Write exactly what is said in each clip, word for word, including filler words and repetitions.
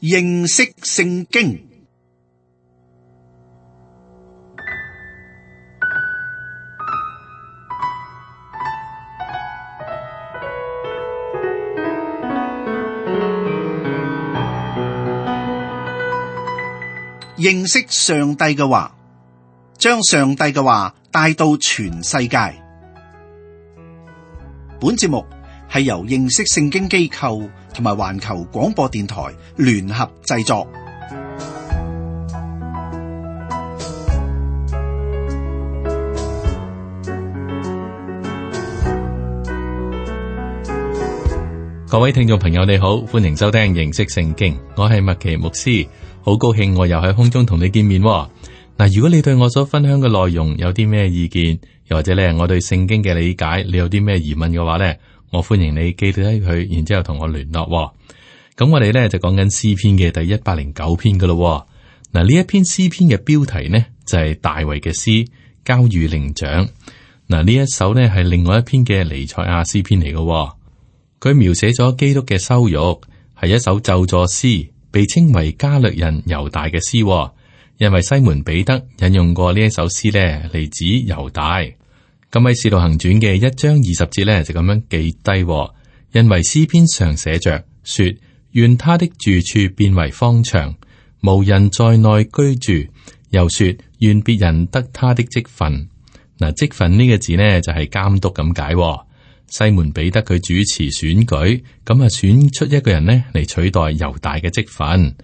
認識聖經。認識上帝嘅話，將上帝嘅話帶到全世界。本節目係由認識聖經機構同埋環球廣播電台聯合製作。各位聽眾朋友你好，歡迎收聽認識聖經，我係麥奇牧師，好高興我又喺空中同你見面。嗱，如果你對我所分享嘅內容有啲咩意見，又或者咧我對聖經嘅理解，你有啲咩疑問嘅話咧，我歡迎你記低佢，然之後同我聯絡。咁我哋咧就講緊詩篇嘅第一百零九篇噶咯。嗱，呢一篇詩篇嘅標題呢就係大衛嘅詩，交與伶長。嗱，呢一首呢係另外一篇嘅彌賽亞詩篇嚟嘅。佢描寫咗基督嘅羞辱，係一首咒詛詩，被稱為加略人猶大嘅詩。因為西門彼得引用過呢一首詩呢嚟指猶大。咁喺《使徒行傳》嘅一章二十節呢，就咁樣記低，因為詩篇上寫着說，願他的住處變為荒場，無人在內居住。又說，願別人得他的職分。嗱，職分呢個字呢，就係監督咁解。西門彼得佢主持選舉，咁啊選出一個人呢嚟取代猶大嘅職分。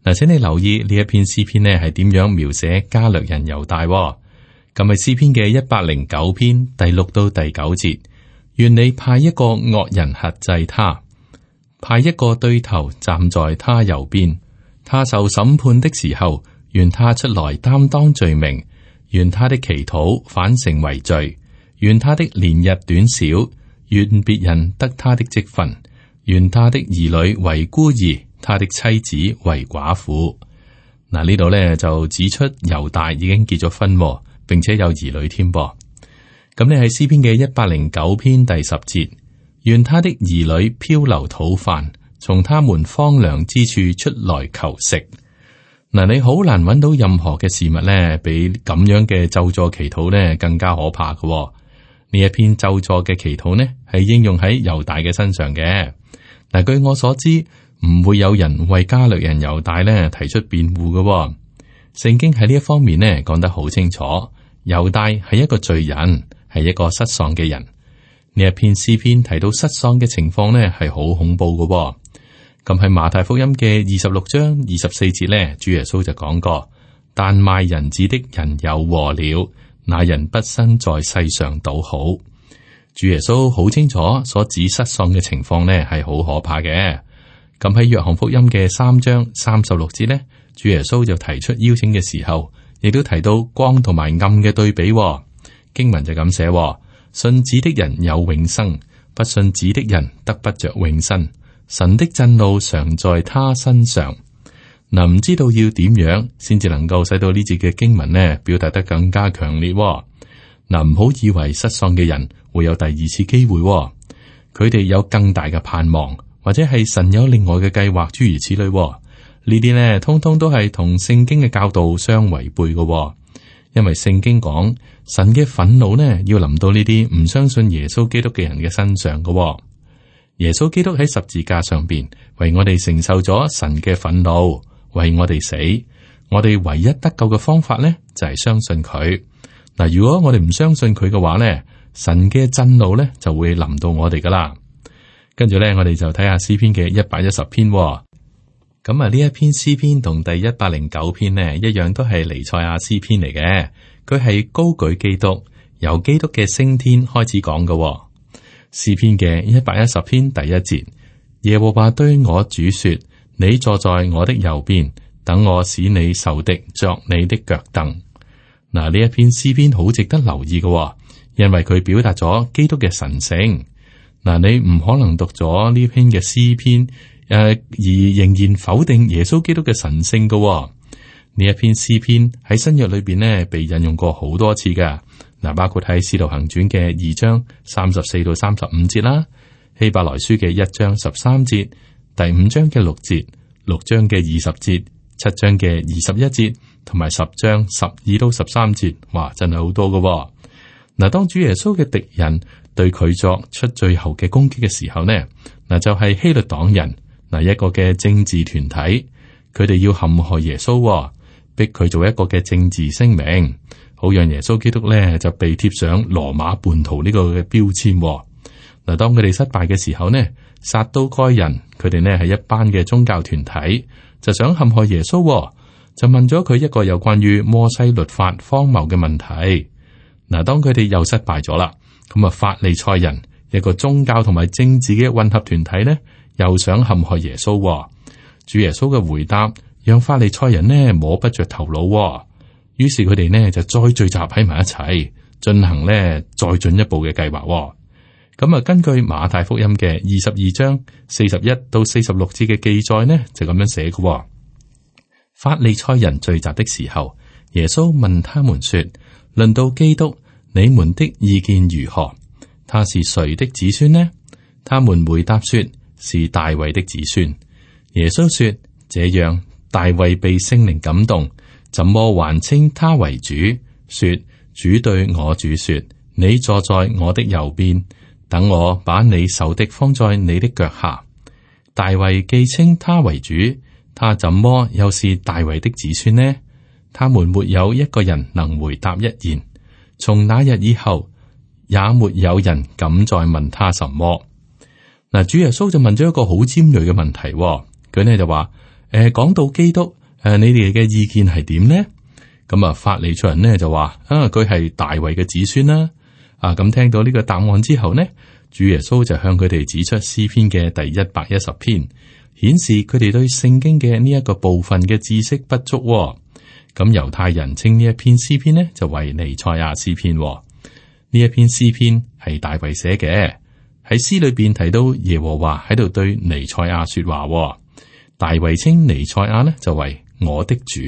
嗱，請你留意呢一篇詩篇呢係點樣描寫加略人猶大。咁係詩篇嘅一百零九篇第六到第九節，願你派一個惡人轄制他，派一個對頭站在他右邊。他受審判的時候，願他出來擔當罪名，願他的祈禱反成為罪，願他的年日短少，願別人得他的職分，願他的兒女為孤兒，他的妻子為寡婦。嗱，呢度咧就指出猶大已經結咗婚，並且有兒女添噃。咁你喺詩篇嘅一百零九篇第十節，願他的兒女漂流討飯，從他們荒涼之處出來求食。嗱，你好難揾到任何嘅事物咧，比咁樣嘅咒詛祈禱咧更加可怕嘅。呢一篇咒詛嘅祈禱呢，係應用喺猶大嘅身上嘅。嗱，據我所知，唔會有人為加略人猶大呢提出辯護嘅。聖經喺呢一方面呢講得好清楚，猶大係一個罪人，係一個失喪嘅人。呢一篇詩篇提到失喪嘅情況呢係好恐怖嘅。咁喺馬太福音嘅二十六章二十四節呢，主耶穌就講過：但賣人子的人有禍了。那人不生在世上倒好。主耶穌好清楚所指失喪嘅情況呢係好可怕嘅。咁喺約翰福音嘅三章三十六節呢，主耶穌就提出邀請嘅時候，亦都提到光同埋暗嘅對比。經文就咁寫：信子的人有永生，不信子的人得不着永生。神的震怒常在他身上。嗱，唔知道要點樣先至能夠使到呢節嘅經文呢表達得更加強烈。嗱，唔好以為失喪嘅人會有第二次機會，佢哋有更大嘅盼望，或者係神有另外嘅計劃，諸如此類。呢啲呢，通通都係同聖經嘅教導相違背嘅。因為聖經講神嘅憤怒呢要臨到呢啲唔相信耶穌基督嘅人嘅身上嘅。耶穌基督喺十字架上邊為我哋承受咗神嘅憤怒。為我哋死，我哋唯一得救嘅方法呢，就係相信佢。嗱，如果我哋唔相信佢嘅話呢，神嘅震怒呢就會臨到我哋噶啦。跟住呢，我哋就睇下詩篇嘅一百一十篇。咁啊，呢一篇詩篇同第一百零九篇呢一樣，都係彌賽亞詩篇嚟嘅。佢係高舉基督，由基督嘅升天開始講嘅。詩篇嘅一百一十篇第一節，耶和華對我主說：你坐在我的右邊，等我使你仇敵作你的腳凳。嗱，呢一篇詩篇好值得留意嘅，因為佢表達咗基督嘅神聖。嗱，你唔可能讀咗呢篇嘅詩篇，誒、呃、而仍然否定耶穌基督嘅神聖嘅。呢一篇詩篇喺新約裏邊呢，被引用過好多次噶。嗱，包括喺《使徒行傳》嘅二章三十四到三十五節啦，《希伯來書》嘅一章十三節，第五章嘅六節，《六章嘅二十節、七章嘅二十一節，同埋十章十二到十三節，哇，真係好多噶喎。嗱，當主耶穌嘅敵人對佢作出最後嘅攻擊嘅時候呢，嗱就係希律黨人，嗱一個嘅政治團體，佢哋要陷害耶穌喎，逼佢做一個嘅政治聲明，好讓耶穌基督咧就被貼上羅馬叛徒呢個嘅標籤喎。嗱，當佢哋失敗嘅時候呢，撒都該人佢哋呢係一班嘅宗教團體，就想陷害耶穌喎，就問咗佢一個有關於摩西律法荒謬嘅問題。嗱，當佢哋又失敗咗啦，咁啊，法利賽人一個宗教同埋政治嘅混合團體呢，又想陷害耶穌喎。主耶穌嘅回答讓法利賽人呢摸不着頭腦喎，於是佢哋呢就再聚集喺埋一齊，進行呢再進一步嘅計劃喎。咁啊，根據馬太福音嘅二十二章四十一到四十六節嘅記載呢，就咁樣寫嘅喎。法利賽人聚集的時候，耶穌問他們說：論到基督，你們的意見如何？他是誰的子孫呢？他們回答說：是大衛的子孫。耶穌說：這樣，大衛被聖靈感動，怎麼還稱他為主？說：主對我主說：你坐在我的右邊，等我把你仇敵放在你的腳下。大衛既稱他為主，他怎麼又是大衛的子孫呢？他們沒有一個人能回答一言。從那日以後，也沒有人敢再問他什麼。嗱，主耶穌就問咗一個好尖銳嘅問題，佢呢就話：誒、呃，講到基督，誒、呃，你哋嘅意見係點呢？咁啊，法利賽人呢就話：啊，佢係大衛嘅子孫啦。啊，咁聽到呢個答案之後呢，主耶穌就向佢哋指出詩篇嘅第一百一十篇，顯示佢哋對聖經嘅呢一個部分嘅知識不足。咁猶太人稱呢一篇詩篇呢就為彌賽亞詩篇。呢一篇詩篇係大衛寫嘅，喺詩裏邊提到耶和華喺度對彌賽亞說話。大衛稱彌賽亞呢就為我的主。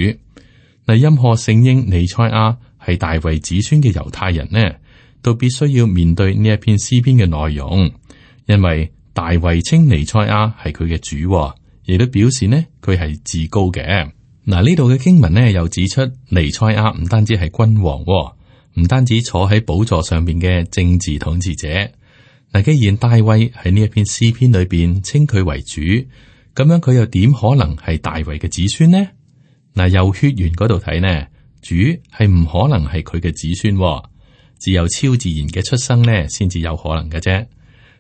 嗱，任何承認彌賽亞係大衛子孫嘅猶太人呢，都必須要面對呢一篇詩篇嘅內容，因為大衛稱彌賽亞係佢嘅主，亦都表示呢佢係至高嘅。嗱，呢度嘅經文呢又指出彌賽亞唔單止係君王，唔單止坐喺寶座上邊嘅政治統治者。嗱，既然大衛喺呢一篇詩篇裏邊稱佢為主，咁樣佢又點可能係大衛嘅子孫呢？嗱，由血緣嗰度睇呢，主係唔可能係佢嘅子孫，只有超自然嘅出生呢先至有可能嘅啫。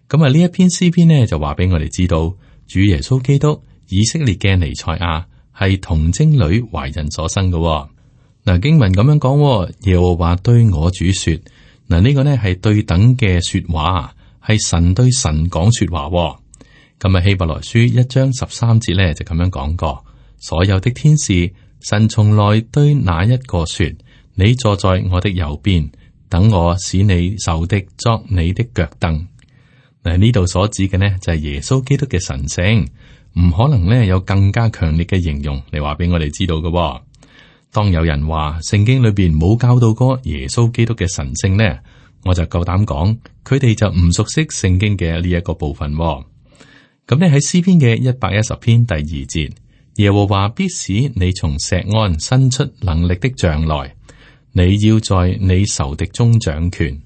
咁啊，呢一篇詩篇呢就話俾我哋知道，主耶穌基督以色列嘅彌賽亞係童貞女懷孕所生嘅。嗱，經文咁樣講，耶和華對我主說，嗱，呢個呢係對等嘅說話，係神對神講說話。咁啊，希伯來書一章十三節呢就咁樣講過，所有的天使，神從來對哪一個說，你坐在我的右邊，等我使你仇敵作你的腳凳。嗱，呢度所指嘅呢就係耶穌基督嘅神性，唔可能呢有更加強烈嘅形容嚟話俾我哋知道嘅。當有人話聖經裏邊冇教導過耶穌基督嘅神性呢，我就夠膽講，佢哋就唔熟悉聖經嘅呢一個部分。咁你喺詩篇嘅一百一十篇第二節，耶和華必使你從錫安伸出能力的杖來，你要在你仇敵中掌權。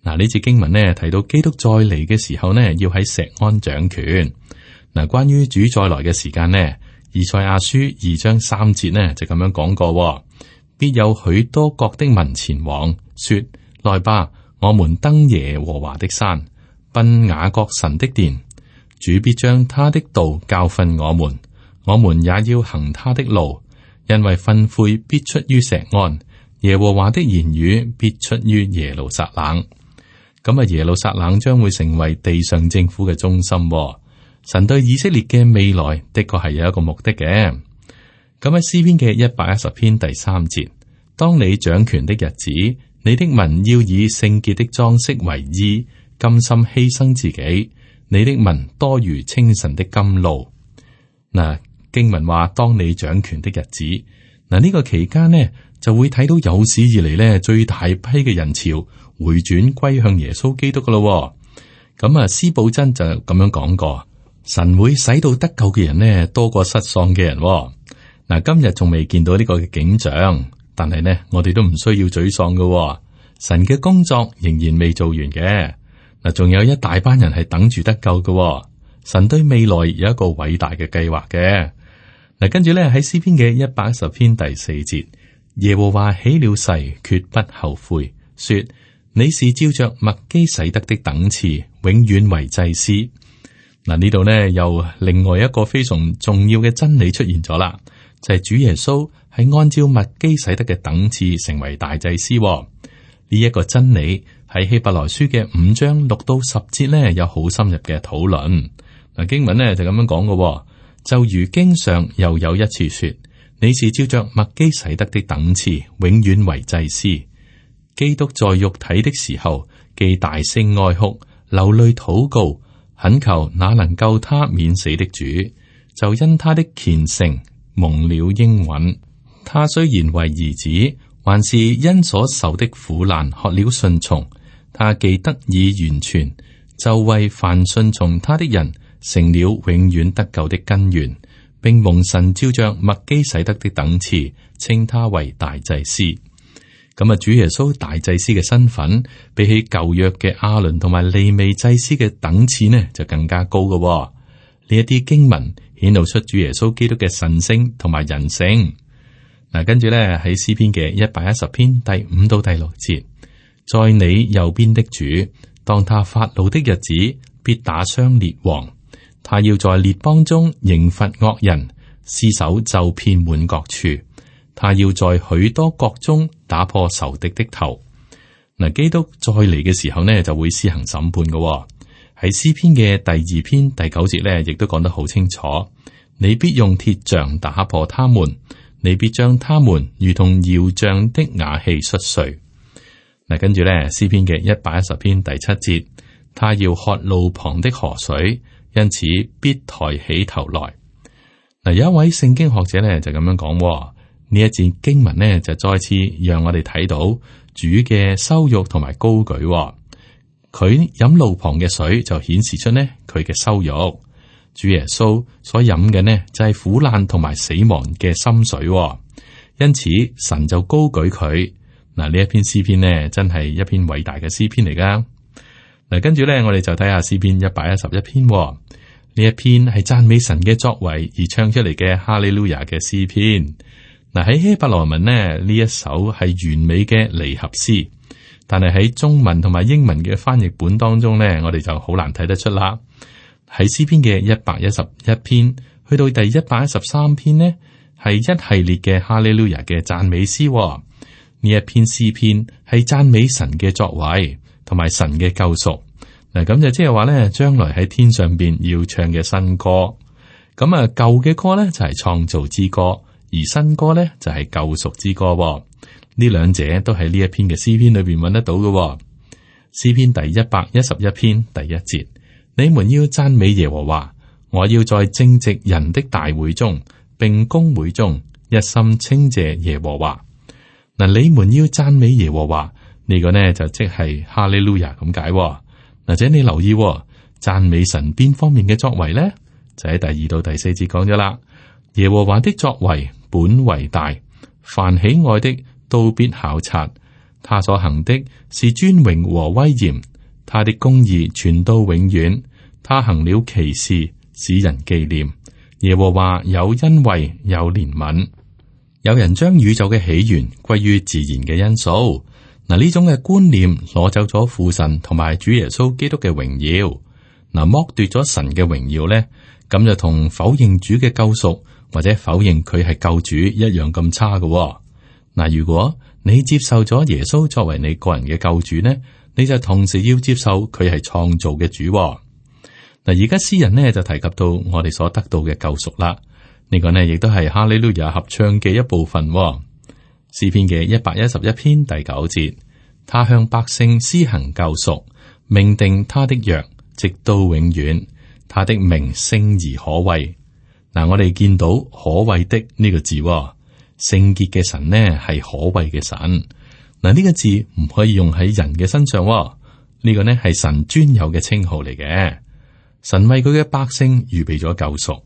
嗱，呢節經文呢提到基督再嚟嘅時候呢，要喺錫安掌權。嗱，關於主再來嘅時間呢，以賽亞書二章三節呢就咁樣講過，必有許多國的民前往，說：來吧，我們登耶和華的山，奔雅各神的殿。主必將他的道教訓我們，我們也要行他的路，因為訓誨必出於錫安，耶和華的言語必出於耶路撒冷。咁啊，耶路撒冷將會成為地上政府嘅中心。神對以色列嘅未來的確係有一個目的嘅。咁喺詩篇嘅一百一十篇第三節，當你掌權的日子，你的民要以聖潔的裝飾為衣，甘心犧牲自己。你的民多如清晨的甘露。嗱，經文話當你掌權的日子，嗱、這、呢個期間呢就會睇到有史以嚟呢最大批嘅人潮回轉歸向耶穌基督噶咯。咁啊，司布真就咁樣講過，神會使到得救嘅人呢多過失喪嘅人喎。嗱，今日仲未見到呢個嘅景象，但係呢，我哋都唔需要沮喪嘅。神嘅工作仍然未做完嘅。嗱，仲有一大班人係等住得救嘅。神對未來有一個偉大嘅計劃嘅。嗱，跟住咧喺詩篇嘅一百一十篇第四節，耶和華起了誓，決不後悔，說你是照着麥基洗德的等次，永遠為祭司。嗱，呢度呢，又另外一個非常重要嘅真理出現咗啦，就係、是、主耶穌係按照麥基洗德嘅等次成為大祭司。呢一個真理喺希伯來書嘅五章六到十節呢，有好深入嘅討論。嗱，經文呢就咁樣講嘅，就如經上又有一次說，你是照着麥基洗德的等次，永遠為祭司。基督在肉體的時候，既大聲哀哭，流淚禱告，懇求那能救他免死的主，就因他的虔誠蒙了應允。他雖然為兒子，還是因所受的苦難學了順從。他既得以完全，就為凡順從他的人成了永遠得救的根源，並蒙神照着麥基洗德的等次，稱他為大祭司。咁啊，主耶穌大祭司嘅身份，比起舊約嘅亞倫同埋利未祭司嘅等次呢，就更加高嘅。呢一啲經文顯露出主耶穌基督嘅神性同埋人性。嗱，跟住咧喺詩篇嘅一百一十篇第五到第六節，在你右邊的主，當他發怒的日子，必打傷列王。他要在列邦中刑罰惡人，屍首就遍滿各處。他要在許多國中打破仇敵的頭。嗱，基督再嚟嘅時候呢，就會施行審判嘅。喺詩篇嘅第二篇第九節呢，亦都講得好清楚。你必用鐵杖打破他們，你必將他們如同窯匠的瓦器摔碎。嗱，跟住呢，詩篇嘅一百一十篇第七節，他要喝路旁的河水，因此必抬起頭來。嗱，有一位聖經學者呢，就咁樣講。呢一節經文呢，就再次讓我哋睇到主嘅羞辱同埋高舉。佢飲路旁嘅水就顯示出呢佢嘅羞辱。主耶穌所飲嘅呢就係苦難同埋死亡嘅深水，因此神就高舉佢。嗱，呢一篇詩篇呢真係一篇偉大嘅詩篇嚟噶。嗱，跟住呢，我哋就睇下詩篇一百一十一篇。呢一篇係讚美神嘅作為而唱出嚟嘅哈利路亞嘅詩篇。嗱，喺希伯來文呢，呢一首係完美嘅離合詩，但係喺中文同埋英文嘅翻譯本當中呢，我哋就好難睇得出啦。喺詩篇嘅一百一十一篇去到第一百一十三篇呢，係一系列嘅哈利路亞嘅讚美詩。呢一篇詩篇係讚美神嘅作為同埋神嘅救贖。嗱，咁就即係話呢，將來喺天上邊要唱嘅新歌。咁啊，舊嘅歌呢，就係創造之歌。而新歌呢，就係、是、救贖之歌、哦，呢兩者都喺呢一篇嘅詩篇裏邊揾得到嘅、哦。詩篇第一百一十一篇第一節，你們要讚美耶和華，我要在正直人的大會中，並公會中，一心稱謝耶和華。嗱，你們要讚美耶和華，呢、這個呢就即係哈利路亞咁解。或者你留意讚、哦、美神邊方面嘅作為呢？就喺第二到第四節講咗啦。耶和華的作為本為大，凡喜愛的都必考察。他所行的是尊榮和威嚴，他的公義傳到永遠。他行了奇事，使人紀念。耶和華有恩惠，有憐憫。有人將宇宙嘅起源歸於自然嘅因素。嗱，呢種嘅觀念攞走咗父神同埋主耶穌基督嘅榮耀。嗱，剝奪咗神嘅榮耀咧，咁就同否認主嘅救贖或者否認佢係救主一樣咁差嘅、哦。嗱，如果你接受咗耶穌作為你個人嘅救主呢，你就同時要接受佢係創造嘅主、哦。嗱，而家詩人呢就提及到我哋所得到嘅救贖啦，呢、這個呢亦都係哈利路亞合唱嘅一部分、哦。詩篇嘅一百一十一篇第九節，他向百姓施行救贖，命定他的約，直到永遠。他的名聖而可畏。嗱，我哋見到可畏的呢個字、哦，聖潔嘅神呢係可畏嘅神。嗱，呢個字唔可以用喺人嘅身上、哦，呢、這個呢係神專有嘅稱號嚟嘅。神為佢嘅百姓預備咗救贖。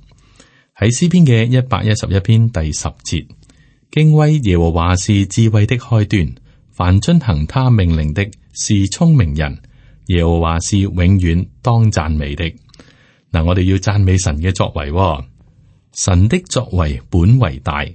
喺詩篇嘅一百一十一篇第十節，敬畏耶和華是智慧的開端，凡遵行他命令的是聰明人。耶和華是永遠當讚美的。嗱，我哋要讚美神嘅作為，神的作為本為大。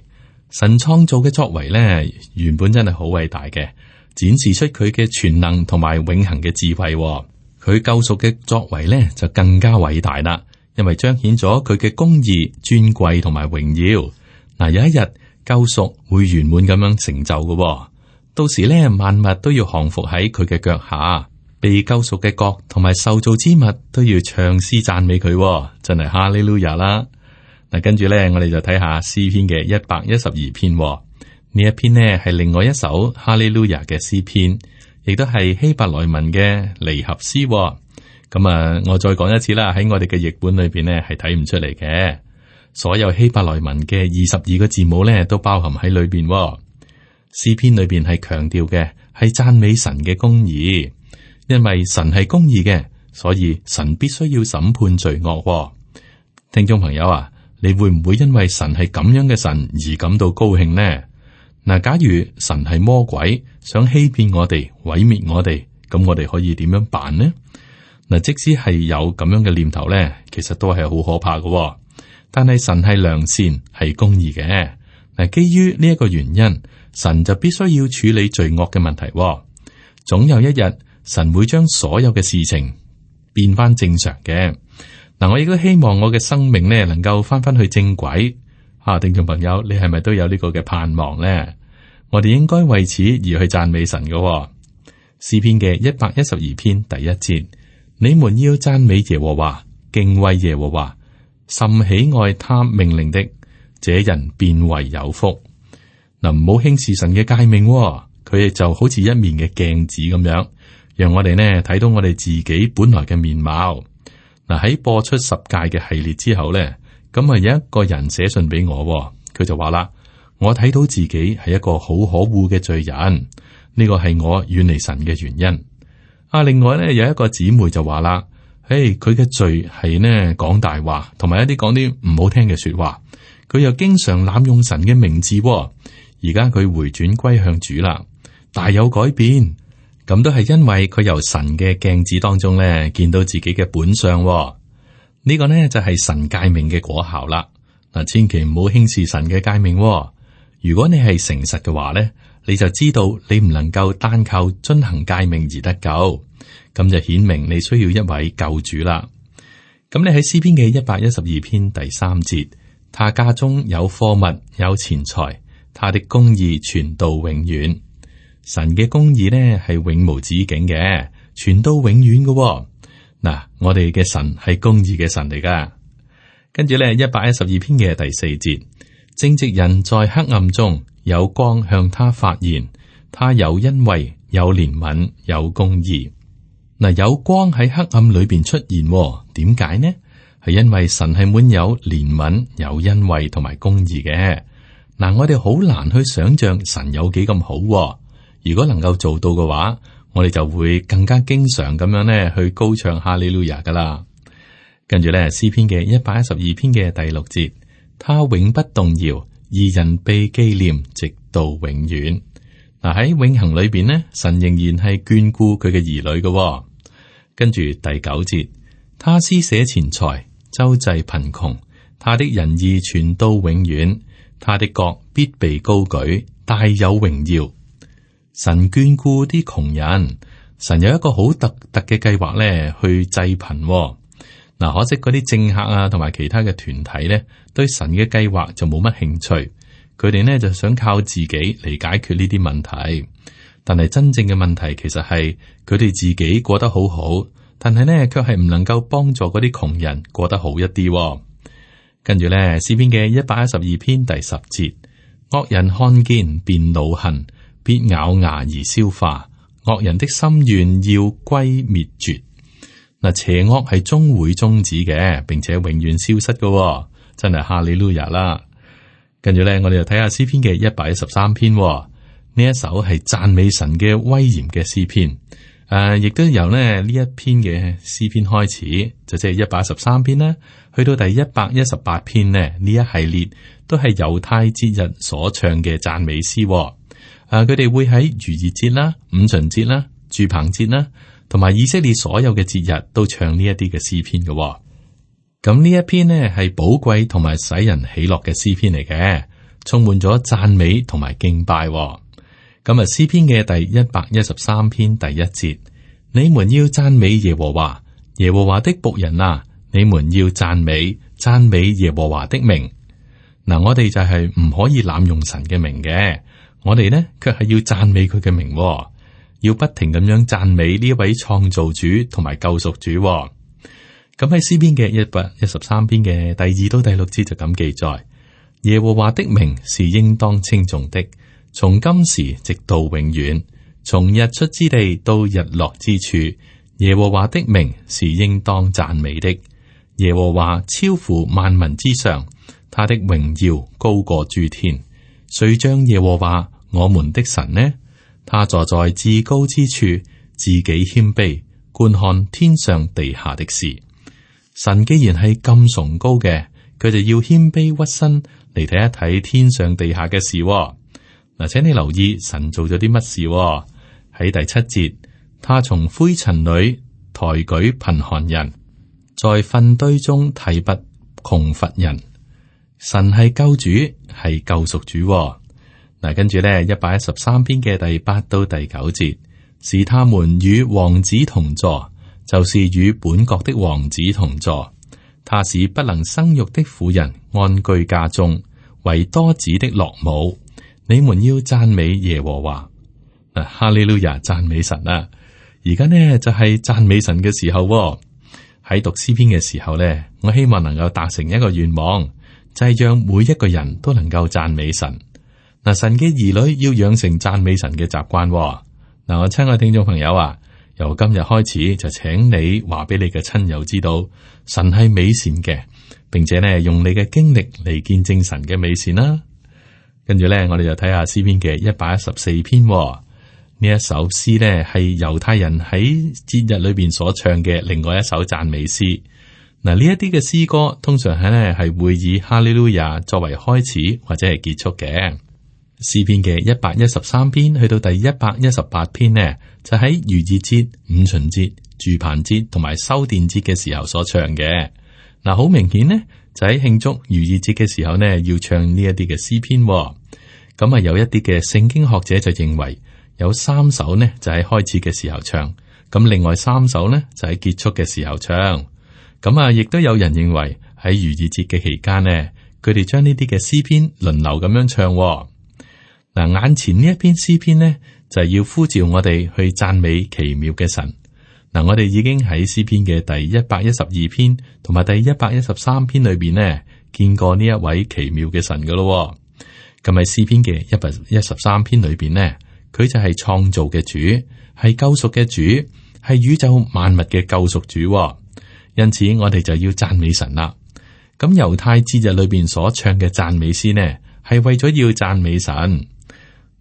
神創造嘅作為咧，原本真係好偉大嘅，展示出佢嘅全能同埋永恆嘅智慧。佢救贖嘅作為咧就更加偉大啦，因為彰顯咗佢嘅公義、尊貴同埋榮耀。嗱，有一日救贖會圓滿咁樣成就嘅，到時咧萬物都要降服喺佢嘅腳下。被救贖嘅國同埋受造之物都要唱詩讚美佢，真係哈利路亞啦！嗱，跟住咧，我哋就睇下詩篇嘅一百一十二篇。呢一篇呢係另外一首哈利路亞嘅詩篇，亦都係希伯來文嘅離合詩。咁啊，我再講一次啦，喺我哋嘅譯本裏邊呢係睇唔出嚟嘅。所有希伯來文嘅二十二個字母咧都包含喺裏邊。詩篇裏邊係強調嘅係讚美神嘅公義。因為神係公義嘅，所以神必須要審判罪惡。聽眾朋友啊，你會唔會因為神係咁樣嘅神而感到高興呢？嗱，假如神係魔鬼，想欺騙我哋、毀滅我哋，咁我哋可以點樣辦呢？嗱，即使係有咁樣嘅念頭咧，其實都係好可怕嘅。但係神係良善、係公義嘅。嗱，基於呢一個原因，神就必須要處理罪惡嘅問題。總有一日，神會將所有嘅事情變翻正常嘅。嗱，我亦都希望我嘅生命咧能夠翻翻去正軌。啊，聽眾朋友，你係咪都有呢個嘅盼望咧？我哋應該為此而去讚美神嘅。詩篇嘅一百一十二篇第一節，你們要讚美耶和華，敬畏耶和華，甚喜愛他命令的，這人便為有福。嗱，唔好輕視神嘅誡命，佢就好似一面嘅鏡子咁樣。讓我哋呢睇到我哋自己本來嘅面貌。嗱，喺播出十誡嘅系列之後呢，咁啊有一個人寫信俾我，佢就話啦：我睇到自己係一個好可惡嘅罪人，呢個係我遠離神嘅原因。啊，另外呢，有一個姊妹就話啦：誒，佢嘅罪係呢講大話，同埋一啲講啲唔好聽嘅說話。佢又經常濫用神嘅名字，而家佢回轉歸向主啦，大有改變。咁都係因為佢由神嘅鏡子當中咧見到自己嘅本相。呢、這個呢就係神誡命嘅果效啦。嗱，千祈唔好輕視神嘅誡命。如果你係誠實嘅話咧，你就知道你唔能夠單靠遵行誡命而得救，咁就顯明你需要一位救主啦。咁你喺詩篇嘅一百一十二篇第三節，他家中有貨物有錢財，他的公義傳到永遠。神嘅公義呢係永無止境嘅，傳到永遠嘅。嗱，我哋嘅神係公義嘅神嚟噶。跟住咧，一百一十二篇嘅第四節，正直人在黑暗中有光向他發現，他有恩惠、有憐憫、有公義。嗱，有光喺黑暗裏邊出現，點解呢？係因為神係滿有憐憫、有恩惠同埋公義嘅。嗱，我哋好難去想象神有幾咁好。如果能夠做到嘅話，我哋就會更加經常咁樣咧去高唱哈利路亞噶啦。跟住咧，詩篇嘅一百一十二篇嘅第六節，他永不動搖，義人被紀念直到永遠。嗱，喺永恆裏邊呢，神仍然係眷顧佢嘅兒女嘅。跟住第九節，他施捨錢財，周濟貧窮，他的仁義傳到永遠，他的國必被高舉，大有榮耀。神眷顧啲窮人，神有一個好特特嘅計劃咧，去濟貧。嗱，可惜嗰啲政客啊，同埋其他嘅團體咧，對神嘅計劃就冇乜興趣。佢哋呢就想靠自己嚟解決呢啲問題，但係真正嘅問題其實係佢哋自己過得好好，但係呢卻係唔能夠幫助嗰啲窮人過得好一啲。跟住咧，詩篇嘅一百一十二篇第十節，惡人看見便惱恨，必咬牙而消化，惡人的心願要歸滅絕。嗱，邪惡係終會終止嘅，並且永遠消失嘅，真係哈利路亞啦。跟住咧，我哋就睇下詩篇嘅一百一十三篇，呢一首係讚美神嘅威嚴嘅詩篇。誒，亦、呃、都由咧呢一篇嘅詩篇開始，就即係一百一十三篇啦，去到第一百一十八篇呢，呢一系列都係猶太節日所唱嘅讚美詩、哦。誒、呃，佢哋會喺逾越節啦、五旬節啦、住棚節啦，同埋以色列所有嘅節日都唱呢一啲嘅詩篇嘅、哦。咁呢一篇呢係寶貴同埋使人喜樂嘅詩篇嚟嘅，充滿咗讚美同埋敬拜、哦。咁啊，詩篇嘅第一百一十三篇第一節，你們要讚美耶和華，耶和華的僕人啊，你們要讚美讚美耶和華的名。嗱，我哋就係唔可以濫用神嘅名嘅，我哋呢卻係要讚美佢嘅名、哦，要不停咁樣讚美呢一位創造主同埋救贖主、哦。咁喺詩篇嘅一百一十三篇嘅第二到第六節就咁記載，耶和華的名是應當稱頌的。從今時直到永遠，從日出之地到日落之處，耶和華的名是應當讚美的。耶和華超乎萬民之上，他的榮耀高過諸天。誰像耶和華我們的神呢？他坐在至高之處，自己謙卑，觀看天上地下的事。神既然係咁崇高嘅，佢就要謙卑屈身嚟睇一睇天上地下嘅事、哦。嗱，請你留意神做咗啲乜事喎？喺第七節，他從灰塵裏抬舉貧寒人，在糞堆中提拔窮乏人。神係救主，係救贖主喎。嗱，跟住咧一百一十三篇嘅第八到第九節，是他們與王子同坐，就是與本國的王子同坐。他使不能生育的婦人安居家中，為多子的樂母。你們要讚美耶和華，嗱，哈利路亞，讚美神啊！而家呢就係、是、讚美神嘅時候、哦。喺讀詩篇嘅時候呢，我希望能夠達成一個願望，就係、是、讓每一個人都能夠讚美神。嗱，神嘅兒女要養成讚美神嘅習慣、哦。嗱，我親愛聽眾朋友啊，由今日開始就請你話俾你嘅親友知道，神係美善嘅，並且呢用你嘅經歷嚟見證神嘅美善啦。跟住咧，我哋就睇下詩篇嘅一百一十四篇、哦。呢一首詩呢，係猶太人喺節日裏邊所唱嘅另外一首讚美詩。嗱，呢一啲嘅詩歌通常係呢係會以哈利路亞作為開始或者係結束嘅。詩篇嘅一百一十三篇去到第一百一十八篇呢，就喺逾越節、五旬節、住棚節同埋修殿節嘅時候所唱嘅。嗱，好明顯呢。就喺慶祝逾越節嘅時候呢，要唱呢一啲嘅詩篇、哦。咁啊，有一啲嘅聖經學者就認為有三首呢就喺開始嘅時候唱，咁另外三首呢就喺結束嘅時候唱。咁啊，亦都有人認為喺逾越節嘅期間呢，佢哋將呢啲嘅詩篇輪流咁樣唱、哦。嗱，眼前呢一篇詩篇呢，就係要呼召我哋去讚美奇妙嘅神。嗱，我哋已經喺詩篇嘅第一百一十二篇同埋第一百一十三篇裏邊呢，見過呢一位奇妙嘅神噶咯。咁喺詩篇嘅一百一十三篇裏邊呢，佢就係創造嘅主，係救贖嘅主，係宇宙萬物嘅救贖主。因此，我哋就要讚美神啦。咁猶太節日裏邊所唱嘅讚美詩呢，係為咗要讚美神。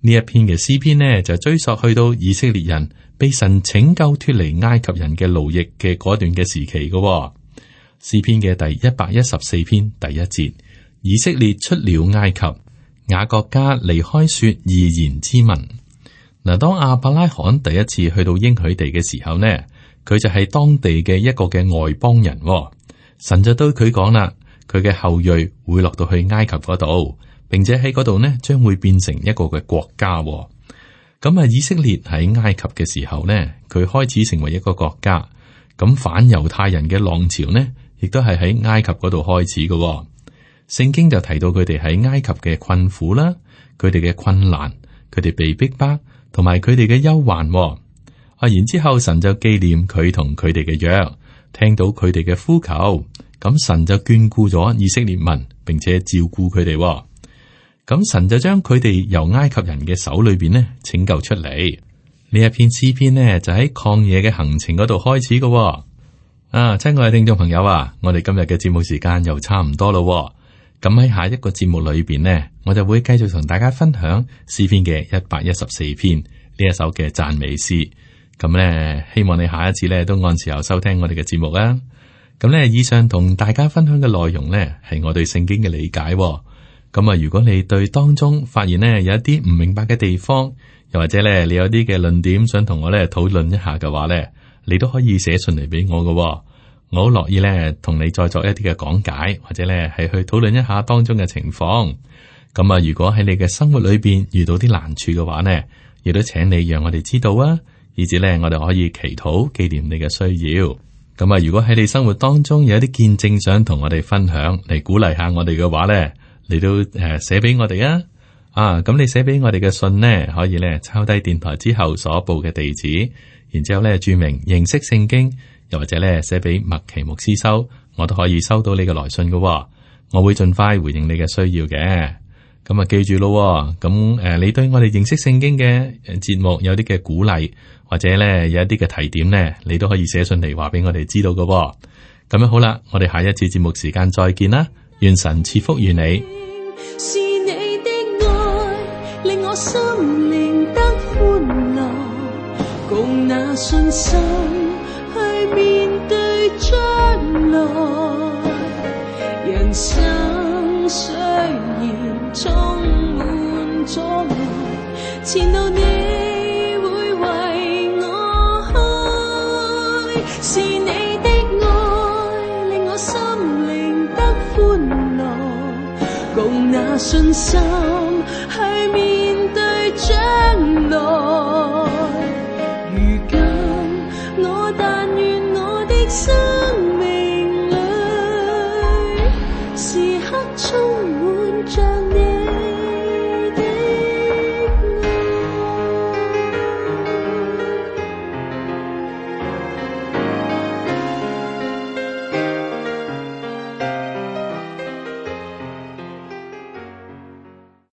呢一篇嘅詩篇呢，就追溯去到以色列人被神拯救脫離埃及人嘅奴役嘅嗰段嘅時期嘅、哦。詩篇嘅第一百一十四篇第一節，以色列出了埃及，雅各家離開說異言之民。嗱，當亞伯拉罕第一次去到應許地嘅時候呢，佢就係當地嘅一個嘅外邦人、哦。神就對佢講啦，佢嘅後裔會落到去埃及嗰度，並且喺嗰度呢將會變成一個嘅國家、哦。咁啊，以色列喺埃及嘅時候呢，佢開始成為一個國家。咁反猶太人嘅浪潮呢，亦都係喺埃及嗰度開始嘅、哦。聖經就提到佢哋喺埃及嘅困苦啦，佢哋嘅困難，佢哋被逼迫，同埋佢哋嘅憂患、哦。啊，然之後神就紀念佢同佢哋嘅約，聽到佢哋嘅呼求，咁神就眷顧咗以色列民，並且照顧佢哋、哦。咁神就將佢哋由埃及人嘅手裏邊呢拯救出嚟。呢一篇詩篇呢就喺曠野嘅行程嗰度開始嘅、哦。啊，親愛嘅聽眾朋友啊，我哋今日嘅節目時間又差唔多咯。咁喺下一個節目裏邊呢，我就會繼續同大家分享詩篇嘅一百一十四篇呢一首嘅讚美詩。咁咧，希望你下一次咧都按時候收聽我哋嘅節目啊。咁咧，以上同大家分享嘅內容咧，係我對聖經嘅理解。咁啊，如果你對當中發現咧有一啲唔明白嘅地方，又或者咧你有啲嘅論點想同我咧討論一下嘅話咧，你都可以寫信嚟俾我嘅。我好樂意咧同你再作一啲嘅講解，或者咧係去討論一下當中嘅情況。咁啊，如果喺你嘅生活裏邊遇到啲難處嘅話呢，亦都請你讓我哋知道啊，以至咧我哋可以祈禱紀念你嘅需要。咁啊，如果喺你生活當中有一啲見證想同我哋分享，嚟鼓勵下我哋嘅話呢，你都誒寫俾我哋啊。啊，咁你寫俾我哋嘅信呢，可以咧抄低電台之後所報嘅地址，然之後咧注明認識聖經，又或者咧寫俾麥奇牧師收，我都可以收到你嘅來信嘅。我會盡快回應你嘅需要嘅。咁啊，記住咯，咁誒，你對我哋認識聖經嘅節目有啲嘅鼓勵，或者咧有一啲嘅提點咧，你都可以寫信嚟話俾我哋知道嘅。咁樣好啦，我哋下一次節目時間再見啦，願神賜福於你。是你的愛令我心靈得歡樂，共那信心去面對將來，人生雖然充滿阻礙，前路你會為我開。是你的愛令我心靈得歡樂，共那信心去面